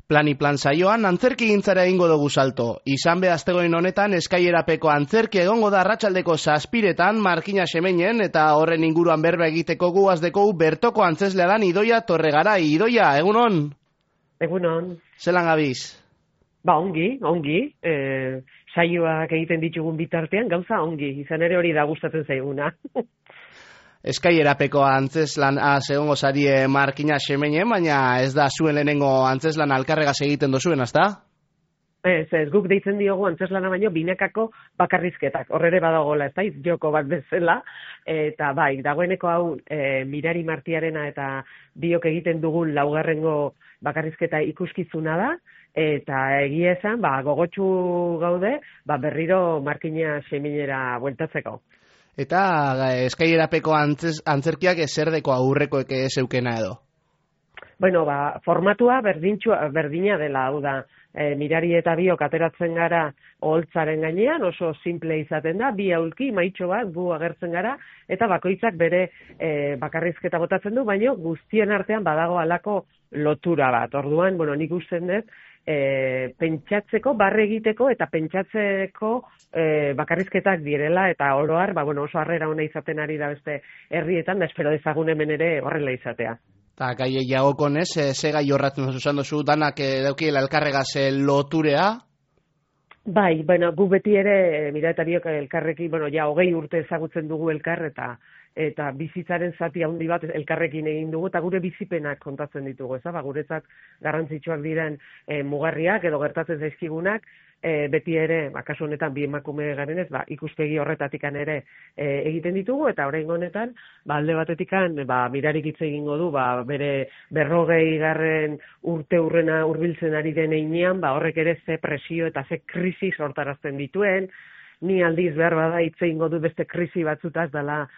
Plan saioan antzerki gintzara egingo dugu salto. Izan be astegoen honetan Eskaierapeko antzerki egongo da arratsaldeko 7:00 Markina Xemeinen eta horren inguruan berba egiteko guazdeko bertoko antzeslea dan Idoia Torregarai. Idoia, egunon? Egunon. Zelan gabiz? Ongi. Saioak egiten ditugun bitartean gauza ongi. Izan ere hori da gustatzen zaiguna. Eskaierapeko antzeslan egongo zarie Markina Xemeinen, baina ez da zuen lehenengo antzeslan alkarregaz egiten dozuen, ezta? Ez, guk deitzen diogu antzeslana baino binekako bakarrizketak. Horrere badagoela, ez da, joko bat bezala. Eta bai, dagoeneko hau Mirari Martiarena eta biok egiten dugun laugarrengo bakarrizketa ikuskizuna da. Eta egia esan, gogotsu gaude, berriro Markina Xemeinera bueltatzeko. Eta Eskaierapeko antzerkiak zerdeko aurrekoek zeukena edo? Bueno, formatua berdina dela, hau da, Mirari eta biok ateratzen gara oholtzaren gainean, oso simple izaten da, bi aulki, maitxo bat, gu agertzen gara, eta bakoitzak bere bakarrizketa botatzen du, baina guztien artean badago halako lotura bat. Orduan, nik usten dut, pentsatzeko, barre egiteko eta pentsatzeko bakarrizketak direla, eta oroar, oso harrera ona izaten ari da beste herrietan, da espero dezagun hemen ere horrela izatea. Eta gai jagokonez, ze gai horratzen zuzan dozu, danak daukiela elkarregaz loturea? Bai, gu beti ere, Mira eta biok elkarrekin, 20 urte ezagutzen dugu elkar, eta bizitzaren zati handi bat elkarrekin egin dugu, eta gure bizipenak kontatzen ditugu, guretzat garrantzitsuak diren mugarriak edo gertatzen zaizkigunak, beti ere, kasu honetan bi emakume garenez, ikuspegi horretatikan ere egiten ditugu, eta oraingo honetan, alde batetikan, Mirarik hitz egingo du, bere 40. urte urrena hurbiltzen ari den heinean, horrek ere ze presio eta ze krisi sortarazten dituen, ni aldiz behar bada hitz egingo du beste krisi batzutaz dela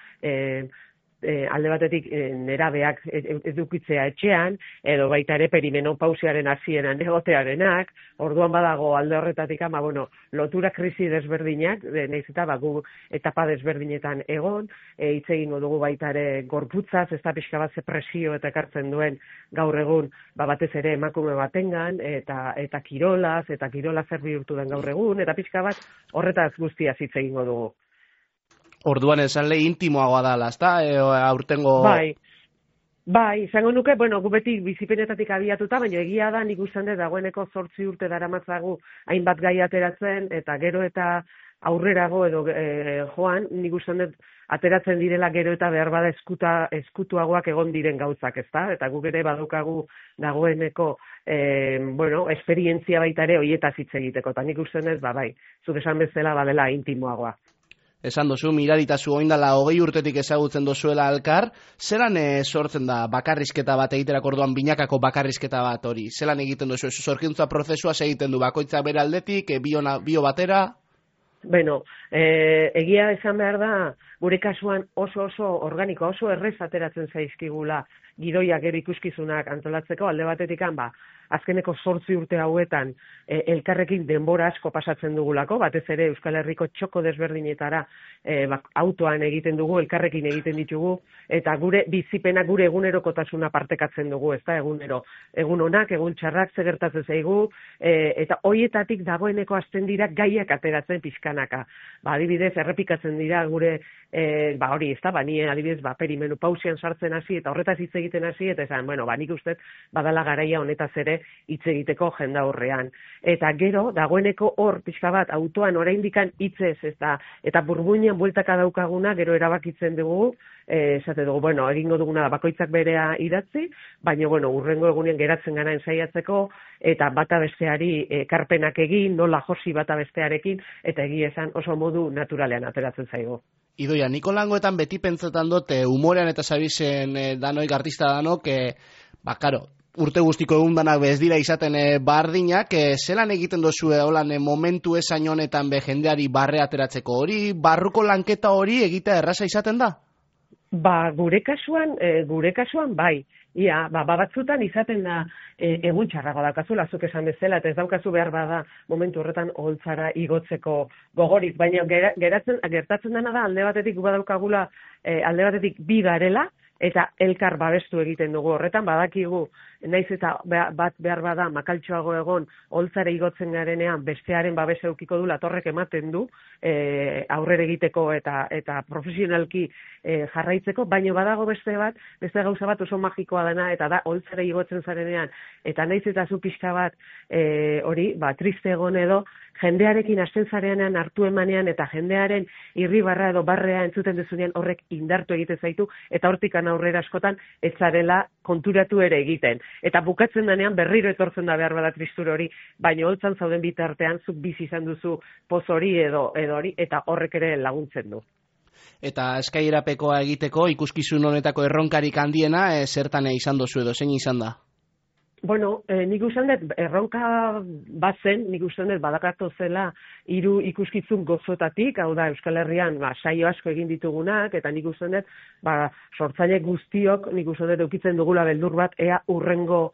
alde batetik nerabeak edukitzea etxean, edo baita ere perimenopausiaren hasieran egotearenak, orduan badago alde horretatik lotura krisi desberdinak, nahiz eta gu etapa desberdinetan egon, hitz egingo dugu baita ere gorputzaz, ez da pixka bat ze presio eta ekartzen duen gaur egun, batez ere emakume batengan, eta kirolaz, eta kirola zer bihurtu den gaur egun, eta pixka bat horretaz guztiaz hitz egingo dugu. Orduan esan lehi intimoagoa dala, ezta? Aurtengo... Bai, izango nuke, gu beti bizipenetatik abiatuta, baina egia da nik uste dut dagoeneko 8 urte daramatzagu hainbat gai ateratzen, eta gero eta aurrerago edo joan, nik uste dut ateratzen direla gero eta behar bada eskutuagoak egon diren gauzak, ezta? Eta guk ere badaukagu dagoeneko esperientzia baita ere hoietaz hitz egiteko, eta nik uste dut, zuk esan bezala badela intimoagoa. Esan dozu, Miraritazu oindala 20 urtetik ezagutzen dozuela alkar, zelan sortzen da bakarrizketa bat egiterak orduan binakako bakarrizketa bat hori? Zelan egiten dozu, sorgintza prozesua egiten du bakoitza bere aldetik, bio batera? Egia esan behar da, gure kasuan oso organiko, oso errez ateratzen zaizkigula gidoiak gero ikuskizunak antolatzeko, alde batetik azkeneko 8 urte hauetan elkarrekin denbora asko pasatzen dugulako, batez ere Euskal Herriko txoko desberdinetara autoan egiten dugu, elkarrekin egiten ditugu, eta gure bizipena, gure egunerokotasuna partekatzen dugu, ez da, egunero. Egun onak, egun txarrak, ze gertatzen zaigu, eta hoietatik dagoeneko hasten dira gaiak ateratzen pixkanaka. Adibidez, errepikatzen dira gure, hori, ez da, ni adibidez, perimenopausian sartzen hasi, eta horretaz hitz egiten hasi, eta esan, nik uste badala garaia honetaz ere hitz egiteko jendaurrean. Eta gero, dagoeneko hor, pixka bat, autoan oraindikan hitzez, eta burbuinean bueltaka daukaguna, gero erabakitzen dugu, esate dugu, egingo duguna da bakoitzak berea idatzi, baina, urrengo egunean geratzen gara ensaiatzeko, eta bata besteari ekarpenak egin, nola josi bata bestearekin, eta egia esan oso modu naturalean ateratzen zaigu. Idoia, niko langoetan beti pentsetan dut, humorean eta zabizen danoik, artista danok, urte guztiko egun danak bez dira izaten bardinak, zelan egiten dozu holan momentu esain honetan jendeari barre ateratzeko hori, barruko lanketa hori egitea erraza izaten da? Gure kasuan bai. Batzutan izaten da egun txarrago daukazula, zuk esan bezala, eta ez daukazu behar bada momentu horretan oholtzara igotzeko gogorik, baina gertatzen dena da alde batetik badaukagula, alde batetik bi garela, eta elkar babestu egiten dugu horretan, badakigu naiz eta bat behar bada makaltxoago egon holtzare igotzen garenean bestearen babesa edukiko du, latorrek ematen du aurrera egiteko eta profesionalki jarraitzeko, baina badago beste gauza bat oso magikoa dena, eta da holtzare igotzen zarenean, eta naiz eta zu pixka bat hori, triste egon edo, jendearekin hasten zarenean hartu emanean eta jendearen irribarra edo barrea entzuten dezunean horrek indartu egiten zaitu eta hortikan aurrera askotan ez zarela konturatu ere egiten. Eta bukatzen denean berriro etortzen da behar bada tristura hori, baina holtzan zauden bitartean zuk bizi izan duzu poz hori edo hori eta horrek ere laguntzen du. Eta eskailerapekoa egiteko ikuskizun honetako erronkarik handiena zertan izan dozu edo zein izan da? Bueno, nik uste dut, erronka bat zen, nik uste dut badakartu zela 3 ikuskizun gozotatik, hau da Euskal Herrian saio asko egin ditugunak, eta nik uste dut, sortzaile guztiok, nik uste dut eukitzen dugula beldur bat, ea urrengo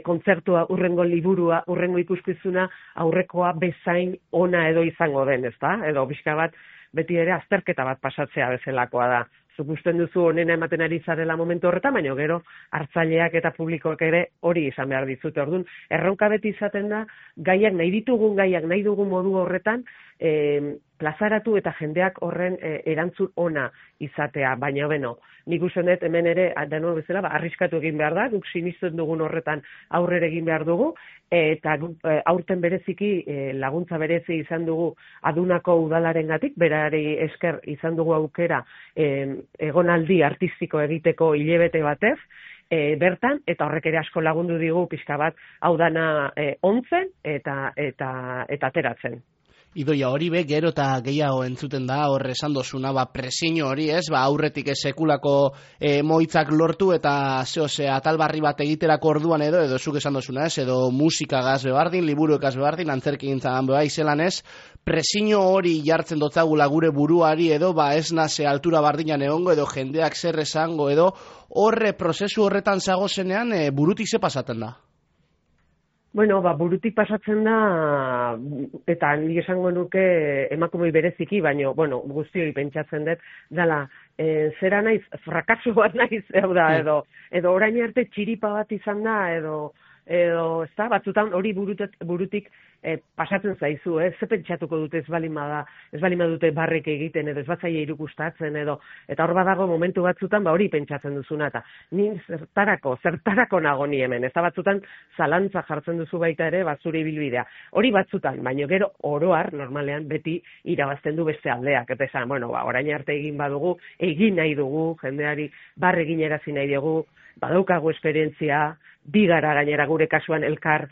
kontzertua, urrengo liburua, urrengo ikuskizuna, aurrekoa bezain ona edo izango den, ezta? Edo bizka bat, beti ere azterketa bat pasatzea bezalakoa da. Zuk usten duzu onena ematen ari zarela momentu horretan, baina gero hartzaileak eta publikoak ere hori izan behar dizute. Orduan, erronka beti izaten da, gaiak nahi ditugun gaiak nahi dugun modu horretan, plazaratu eta jendeak horren erantzun ona izatea, baina beno, nik uste dut hemen ere, deno bezala, arriskatu egin behar da, guk sinisten dugun horretan aurrera egin behar dugu, eta aurten bereziki laguntza berezi izan dugu Adunako udalarengatik, berari esker izan dugu aukera egonaldi artistiko egiteko hilabete batez, bertan, eta horrek ere asko lagundu digu pixka bat hau dana ontzen eta ateratzen. Idoia, hori gero eta gehiago entzuten da, hor esan dozuna, presiño hori aurretik sekulako moitzak lortu eta atal barri bat egiterako orduan edo zuk esan dozuna edo musikagaz bebardin, liburuekaz bebardin, antzerki gintzagan beba izelan presiño hori jartzen dotzagula gure buruari edo ez naze altura bardinan egongo edo jendeak zer esango edo horre prozesu horretan zagozenean burutik ze pasaten da? Bueno, burutik pasatzen da, eta nik esango nuke emakumei bereziki, baina, guztioi pentsatzen dut, dela, zera naiz, frakaso bat naiz, edo orain arte txiripa bat izan da, edo ez da, batzutan hori burutik pasatzen zaizu, ze pentsatuko dute ez balin badute barrek egiten, edo ez batzaile irukustatzen, eta hor badago momentu batzutan, hori pentsatzen duzuna, eta nin zertarako nago ni hemen, ez da batzutan zalantza jartzen duzu baita ere, zure ibilbidea. Hori batzutan, baina gero oroar, normalean, beti irabazten du beste aldeak, eta esan, orain arte egin badugu, egin nahi dugu, jendeari barre egin erazi nahi dugu, badaukagu esperientzia, bigara gainera gure kasuan elkar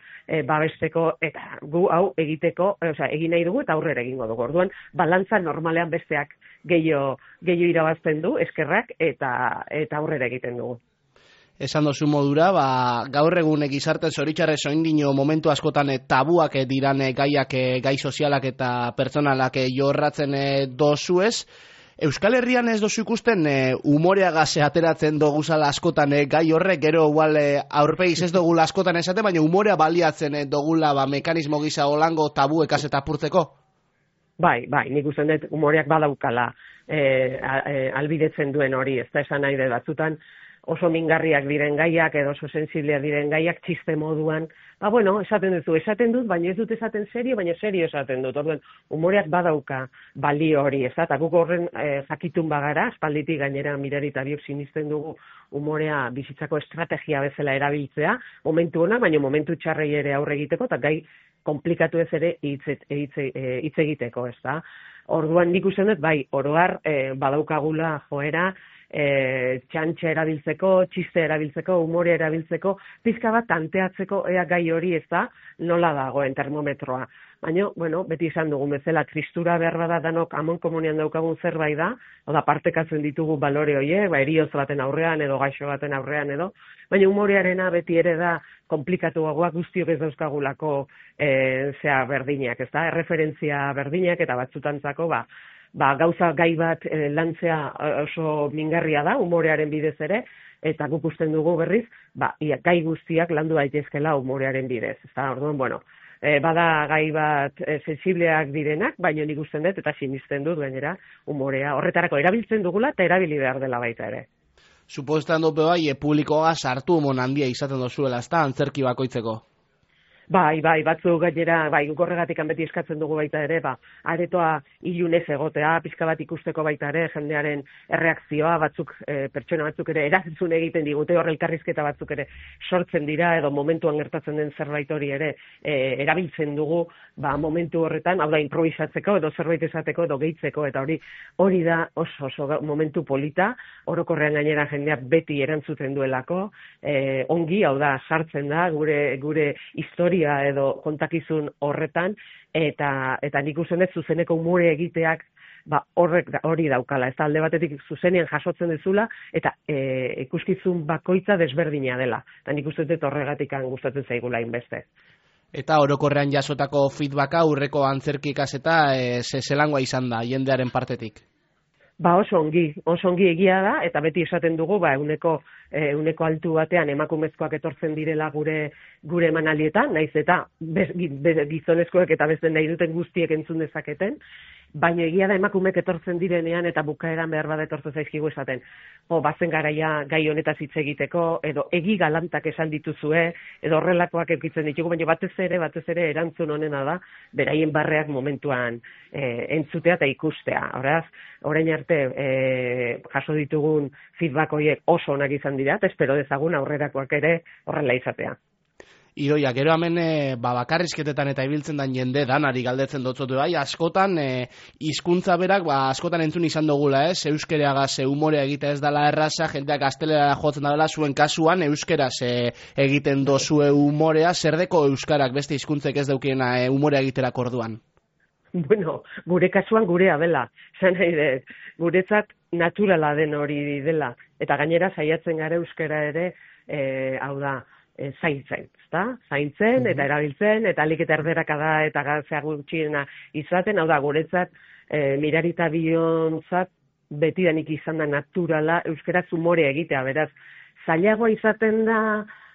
babesteko eta gu hau egiteko, egin nahi dugu eta aurrera egingo dugu. Orduan, balantza normalean besteak gehiago irabazten du, eskerrak, eta aurrera egiten dugu. Esan dozu modura, gaur egun gizarte zoritxarrez oraindik momentu askotan tabuak diran gaiak, gai sozialak eta pertsonalak jorratzen dozuez. Euskal Herrian ez dozu ikusten umoreagaz ateratzen doguzala askotan gai horrek, gero igual aurpegiz ez dogula askotan esate, baina umorea baliatzen dogula mekanismo gisa holango tabuekaz eta apurtzeko? Bai, nik usten dut umoreak badaukala albidetzen duen hori, ez da esan nahi dut batzutan oso mingarriak diren gaiak edo oso sensibleak diren gaiak txiste moduan, esaten dut, baina ez dut esaten serio, baina serio esaten dut. Orduan, umoreak badauka balio hori, ez da, eta guk horren jakitun bagara, aspalditik gainera Mirari eta biok sinisten dugu umorea bizitzako estrategia bezala erabiltzea, momentu ona, baina momentu txarrei ere aurre egiteko, eta gai komplikatu ez ere hitz egiteko, ez da. Orduan, nik uste dut, oroar badaukagula joera, txantxa erabiltzeko, txiste erabiltzeko, umore erabiltzeko, pizka bat tanteatzeko ea gai hori ez da, nola dagoen termometroa. Baina, beti izan dugun bezala, tristura behar bada danok amon komunian daukagun zerbait da, oda partekatzen ditugu balore horiek, erioz baten aurrean edo gaixo baten aurrean edo, baina umorearena beti ere da komplikatuagoak guztiok ez dauzkagulako berdinak, ez da, erreferentzia berdinak eta batzutantzako, gauza gai bat lantzea oso mingarria da, umorearen bidez ere, eta guk usten dugu berriz, gai guztiak landu daitezkela umorearen bidez. Orduan, bada gai bat sensibleak direnak, baina nik usten dut eta sinisten dut gainera umorea horretarako erabiltzen dugula eta erabili behar dela baita ere. Supozetan dope bai, publikoa sartu mon handia izaten dozuela, ezta, antzerki bakoitzeko. Bai, batzuk gainera, guk horregatik beti eskatzen dugu baita ere, aretoa ilunez egotea, pixka bat ikusteko baita ere, jendearen erreakzioa, pertsona batzuk ere erantzun egiten digute, hor elkarrizketa batzuk ere sortzen dira, edo momentuan gertatzen den zerbait hori ere erabiltzen dugu, momentu horretan, hau da, improvisatzeko, edo zerbait esateko, edo gehitzeko, eta hori da oso momentu polita, orokorrean gainera jendeak beti erantzuten duelako, ongi, hau da, sartzen da, gure historia edo kontakizun horretan, eta nik uste dut zuzeneko umore egiteak hori daukala, ez da alde batetik zuzenean jasotzen dezula, eta ikuskizun bakoitza desberdina dela, eta nik uste dut horregatik gustatzen zaigula inbeste. Eta orokorrean jasotako feedbacka aurreko antzerki kaseta zelangoa izan da, jendearen partetik? Oso ongi egia da, eta beti esaten dugu, euneko altu batean emakumezkoak etortzen direla gure emanaldietan, naiz eta gizonezkoek eta beste nahi duten guztiek entzun dezaketen, baina egia da emakumeek etortzen direnean eta bukaeran behar bada etortzen zaizkigu esaten. Bazen garaia gai honetaz hitz egiteko, edo egi galantak esan dituzue, edo horrelakoak eukitzen ditugu, baina batez ere erantzun honena da, beraien barreak momentuan entzutea eta ikustea. Horaz, orain arte jaso ditugun feedback horiek oso onak izan dira, eta espero dezagun aurrerakoak ere horrela izatea. Idoia, gero hemen bakarrizketetan eta ibiltzen den jende danari galdetzen dutzotu bai, askotan hizkuntza berak askotan entzun izan dugula, euskereagaz umorea egitea ez dela erraza, jendeak gaztelera jotzen dela, zuen kasuan euskeraz egiten dozue umorea, zerdeko euskarak beste hizkuntzek ez daukiena umorea egiterak orduan? Bueno, gure kasuan gurea dela, zan nahi dut, guretzat naturala den hori dela, eta gainera saiatzen gara euskera ere, hau da, zaintzen, zaintzen eta erabiltzen, eta alik eta erderakada eta gazea gutxiena izaten, hau da, guretzat, mirarita biontzat, betidanik izan da naturala euskaraz umore egitea, beraz, zailagoa izaten da,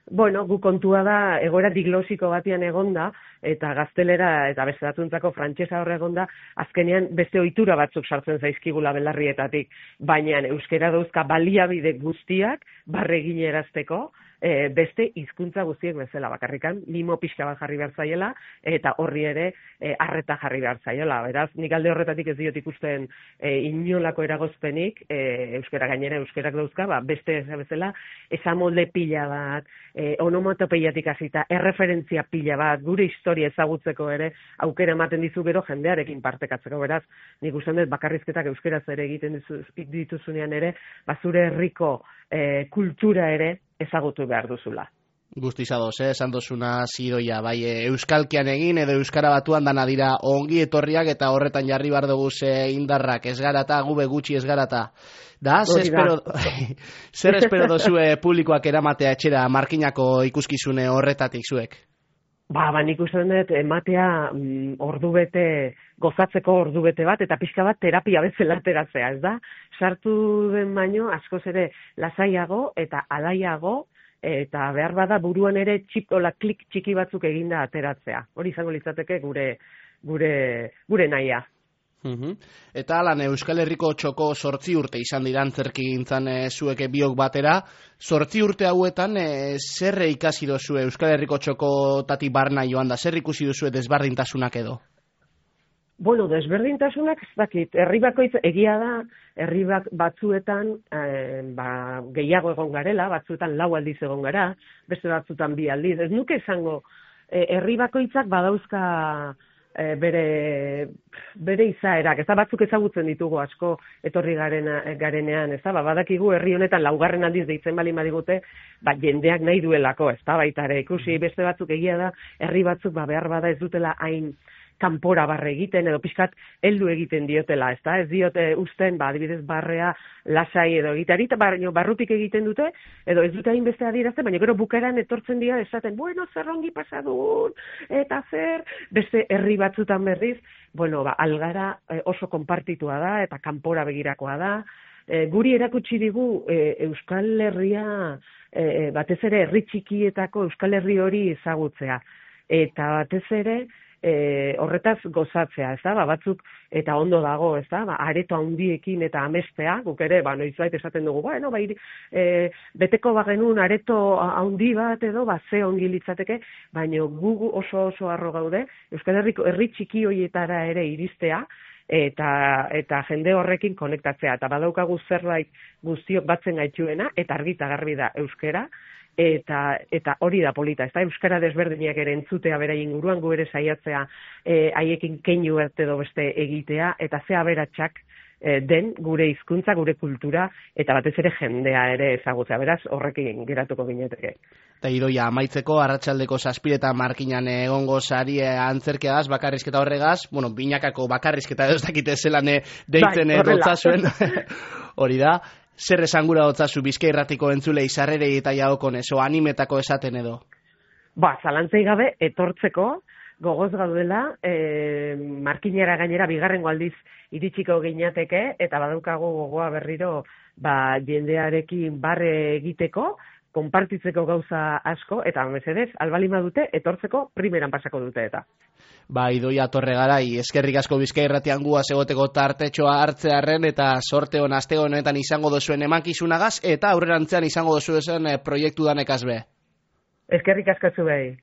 gu kontua da, egoera diglosiko batian egonda, eta gaztelera eta beste batzuntzako frantsesa hor egonda, azkenean beste ohitura batzuk sartzen zaizkigula belarrietatik, baina euskara dauzka baliabide guztiak barreginerazteko, beste hizkuntza guztiek bezala, bakarrikan mimo pixka bat jarri behar zaiela, eta horri ere arreta jarri behar zaiela. Beraz, nik alde horretatik ez diot ikusten inolako eragozpenik, euskara gainera euskarak dauzka, beste bezala, esamolde pila bat, onomatopeiatik hasita, erreferentzia pila bat, gure historia ezagutzeko ere, aukera ematen dizu gero jendearekin partekatzeko. Beraz, nik uste dut bakarrizketak euskaraz ere egiten dituzunean ere, zure herriko kultura ere ezagutu behar duzula. Guztiz ados, esan dozuna Idoia, bai, euskalkian egin edo euskara batuan dana dira ongi etorriak eta horretan jarri behar dugu indarrak, ez garata, gube gutxi ez garata. Zer espero dozue publikoak eramatea etxera markinako ikuskizune horretatik zuek? Nik uste dut ematea gozatzeko ordubete bat, eta pixka bat terapia bezala ateratzea, ez da? Sartu den baino, askoz ere lasaiago eta alaiago, eta behar bada buruan ere klik txiki batzuk eginda ateratzea. Hori izango litzateke gure nahia. Eta alan, Euskal Herriko txoko 8 urte izan dira antzerki gintzan zueke biok batera. 8 urte hauetan, zer ikasi dozue Euskal Herriko txoko tati barna joan da? Zer ikusi duzue desberdintasunak edo? Desberdintasunak ez dakit. Herri bakoitz egia da, herri batzuetan gehiago egon garela, batzuetan 4 aldiz egon gara, beste batzuetan 2 aldiz. Ez nuke esango, herri bakoitzak badauzka bere izaerak, ez da, batzuk ezagutzen ditugu asko etorri garenean, ez da, badakigu herri honetan 4. aldiz deitzen bali madigute, jendeak nahi duelako, ez da, baita ere, ikusi beste batzuk egia da, herri batzuk behar bada ez dutela hain kanpora barre egiten, edo pixkat heldu egiten diotela, ez da, ez diote usten, adibidez barrea lasai edo egiteari, eta barrutik egiten dute, edo ez dute hainbeste adierazten, baina gero bukaeran etortzen dira esaten, zer ongi pasadun, eta zer, beste herri batzutan berriz, Algara oso konpartitua da, eta kanpora begirakoa da, guri erakutsi digu Euskal Herria, batez ere herri txikietako Euskal Herri hori ezagutzea, eta batez ere, horretaz gozatzea, ez da, batzuk eta ondo dago, ez da, areto handiekin eta amestea, guk ere, noizbait esaten dugu, beteko bagenun areto handi bat edo, ze ongi litzateke, baina gu oso harro gaude, Euskal Herriko herri txiki horietara ere iristea, eta jende horrekin konektatzea, eta badaukagu zerbait guztiok batzen gaituena, eta argita garbi da euskera, eta hori da polita, ez da, euskara desberdinak ere entzutea bera inguruan, gu ere saiatzea haiekin keinu edo beste egitea, eta ze aberatsak den gure hizkuntza, gure kultura, eta batez ere jendea ere ezagutzea, beraz horrekin geratuko gineteke. Eta Idoia, amaitzeko, arratsaldeko 7 markinan egongo sari antzerkeaz, bakarrizketa horregaz, binakako bakarrizketa ez dakite zelan deitzen dotzazuen, hori da. Zer esangura dotzazu Bizkai Irratiko entzulei sarrerei eta jaokon eso animetako esaten edo? Zalantzei gabe etortzeko gogoz gaudela, markinera gainera bigarrengo aldiz iritsiko ginateke, eta badaukago gogoa berriro jendearekin barre egiteko, konpartitzeko gauza asko, eta mesedez, albalima dute, etortzeko primeran pasako dute eta. Idoia Torregarai, eskerrik asko Bizkai Irratian guaz egoteko tartetxoa hartzearren eta sorte hon aste honetan izango dozuen emankizunagaz eta aurrerantzean izango dozuen proiektu danekaz be. Eskerrik asko zu behi.